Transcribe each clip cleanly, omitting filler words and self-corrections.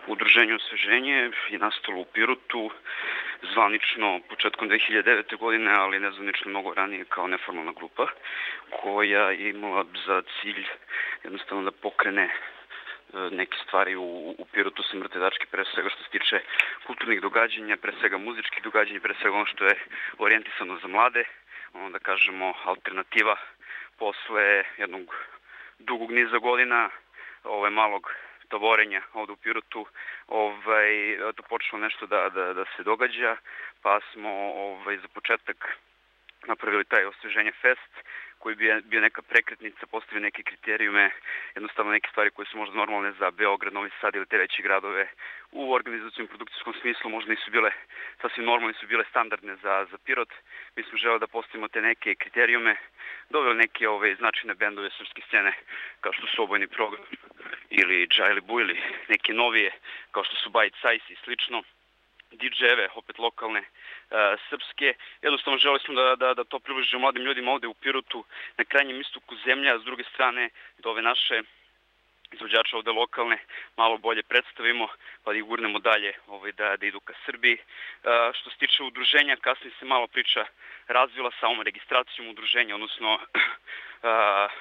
Udruženje Osveženje je nastalo u Pirotu, zvanično početkom 2009. godine, ali nezvanično mnogo ranije kao neformalna grupa, koja je imala za cilj jednostavno da pokrene neke stvari u Pirotu sa mrtve tačke, pre svega što se tiče kulturnih događanja, pre svega muzičkih događanja, pre svega ono što je orijentisano za mlade, ono da kažemo alternativa posle jednog dugog niza godina malog tavorenja ovde u Pirotu, to počelo nešto da se događa, pa smo za početak napravili taj Osveženje fest, koji bi bio neka prekretnica, postavio neke kriterijume, jednostavno neke stvari koje su možda normalne za Beograd, Novi Sad ili te veće gradove u organizacijom produkcijskom smislu, možda nisu bile sasvim normalne, su bile standardne za Pirot. Mi smo želeli da postavimo te neke kriterijume, doveli neke značajne bendove srpske scene, kao što su Obojni program ili Džajli Bujli, neke novije, kao što su Bite Size i slično, DJ-eve, opet lokalne, srpske. Jednostavno želeli smo da to približimo mladim ljudima ovde u Pirotu, na krajnjem istoku zemlje, a s druge strane da ove naše izvođače ovde lokalne malo bolje predstavimo, pa da ih gurnemo dalje da idu ka Srbiji. Što se tiče udruženja, kasnije se malo priča razvila sa ovom registracijom udruženja, odnosno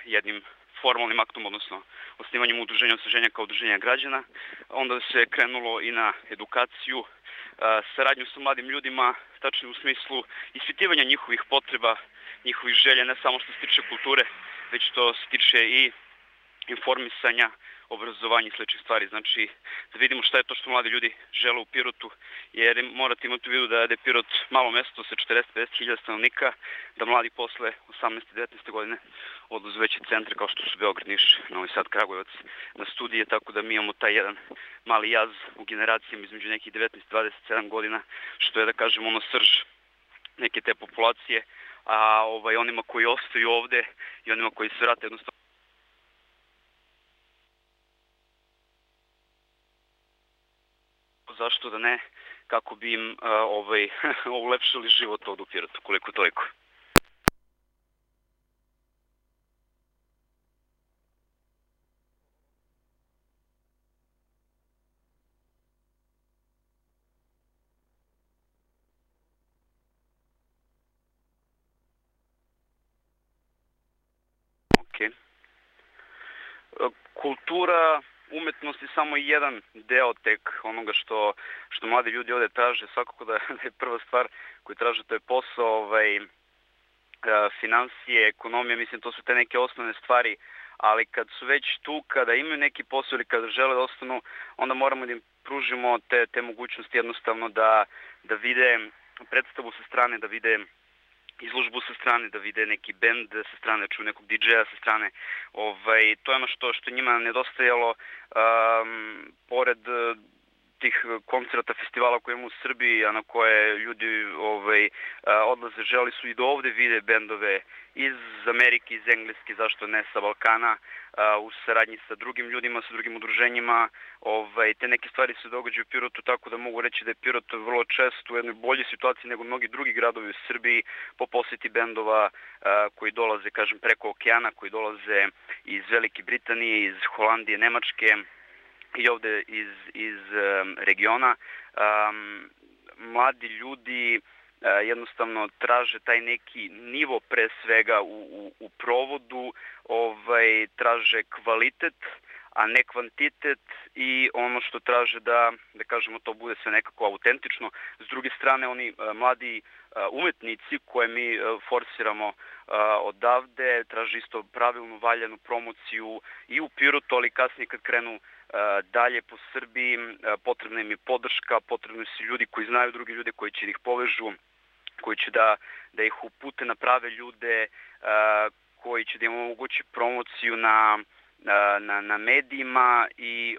jednim formalnim aktom, odnosno osnivanjem udruženja Osveženja kao udruženja građana. Onda se krenulo i na edukaciju, saradnju sa mladim ljudima, tačno u smislu ispitivanja njihovih potreba, njihovih želja, ne samo što se tiče kulture, već što se tiče i informisanja, obrazovanja i sličnih stvari. Znači, da vidimo šta je to što mladi ljudi žele u Pirotu, jer morate imati u vidu da je Pirot malo mesto sa 40-50 hiljada stanovnika, da mladi posle 18-19 godine odlaze veće centre kao što su Beograd, Niš, Novi Sad, Kragujevac na studije, tako da mi imamo taj jedan mali jaz u generacijama između nekih 19-27 godina, što je da kažemo srž neke te populacije, a onima koji ostaju ovde i onima koji se vrate jednostavno zašto da ne, kako bi im ulepšali život ovdje u Pirotu, koliko toliko. Kultura, umetnost je samo jedan deo tek onoga što mladi ljudi ovde traže. Svakako da je prva stvar koju traže, to je posao, finansije, ekonomija, mislim to su te neke osnovne stvari, ali kad su već tu, kada imaju neki posao ili kada žele da ostanu, onda moramo da im pružimo te mogućnosti jednostavno da vide predstavu sa strane, da vide izložbu sa strane, da vide neki bend sa strane, da čuju nekog DJ-a sa strane. To je ono što njima nedostajalo, pored tih koncerta, festivala koje imamo u Srbiji, a na koje ljudi odlaze, želi su i do ovde vide bendove iz Amerike, iz Engleske, zašto ne sa Balkana, u saradnji sa drugim ljudima, sa drugim udruženjima. Te neke stvari se događaju u Pirotu, tako da mogu reći da je Pirot vrlo često u jednoj boljoj situaciji nego mnogi drugi gradovi u Srbiji po poseti bendova koji dolaze, kažem, preko okeana, koji dolaze iz Velike Britanije, iz Holandije, Nemačke i ovde iz regiona. Mladi ljudi jednostavno traže taj neki nivo pre svega u provodu, traže kvalitet, a ne kvantitet, i ono što traže da kažemo to bude sve nekako autentično. S druge strane, oni mladi umetnici koje mi forsiramo odavde traže isto pravilnu, valjanu promociju i u Pirotu, ali kasnije kad krenu dalje po Srbiji, potrebna im je podrška, potrebni su ljudi koji znaju druge ljude, koji će ih povežu, koji će da ih upute na prave ljude, koji će da im omogući promociju na medijima i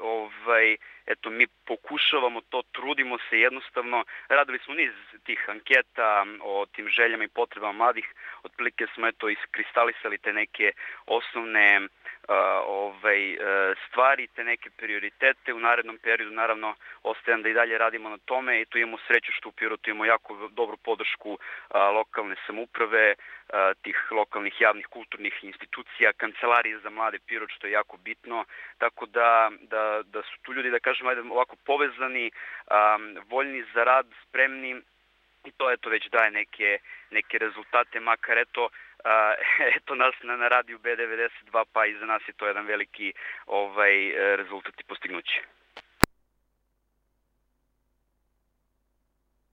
eto, mi pokušavamo to, trudimo se jednostavno. Radili smo niz tih anketa o tim željama i potrebama mladih, otprilike smo eto iskristalisali te neke osnovne stvari, te neke prioritete. U narednom periodu naravno ostajem da i dalje radimo na tome i tu imamo sreću što u Pirotu imamo jako dobru podršku lokalne samouprave, tih lokalnih javnih kulturnih institucija, kancelarije za mlade Pirot, što je jako bitno, tako da su tu ljudi, da kažem, kažem, ovako povezani, voljni za rad, spremni, i to eto već daje neke rezultate, makar eto nas na radiju B92, pa i za nas je to jedan veliki rezultat i postignuće.